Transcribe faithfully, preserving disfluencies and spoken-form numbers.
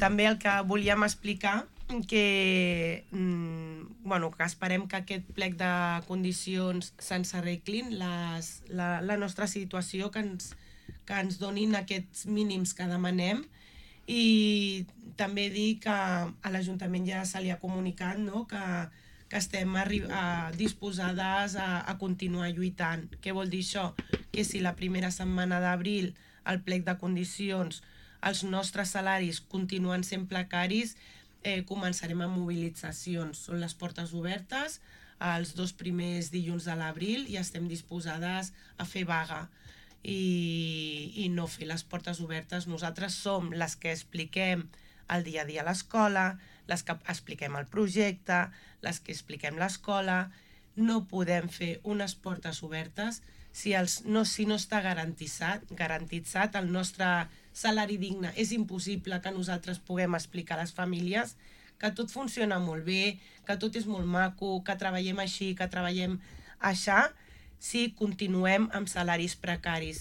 també el que volíem explicar que, mm, bueno, que esperem que aquest plec de condicions se'ns arreglin les, la, la nostra situació, que ens, que ens donin aquests mínims que demanem, i també dir que a l'Ajuntament ja se li ha comunicat, no?, que, que estem arri- a, disposades a, a continuar lluitant. Què vol dir això? Que si la primera setmana d'abril el plec de condicions els nostres salaris continuen sent precaris, eh, començarem amb mobilitzacions. Són les portes obertes els dos primers dilluns de l'abril i estem disposades a fer vaga i, i no fer les portes obertes. Nosaltres som les que expliquem el dia a dia a l'escola, les que expliquem el projecte, les que expliquem l'escola. No podem fer unes portes obertes si, els, no, si no està garantitzat, garantitzat el nostre salari digne. És impossible que nosaltres puguem explicar a les famílies que tot funciona molt bé, que tot és molt maco, que treballem així, que treballem aixà, si continuem amb salaris precaris.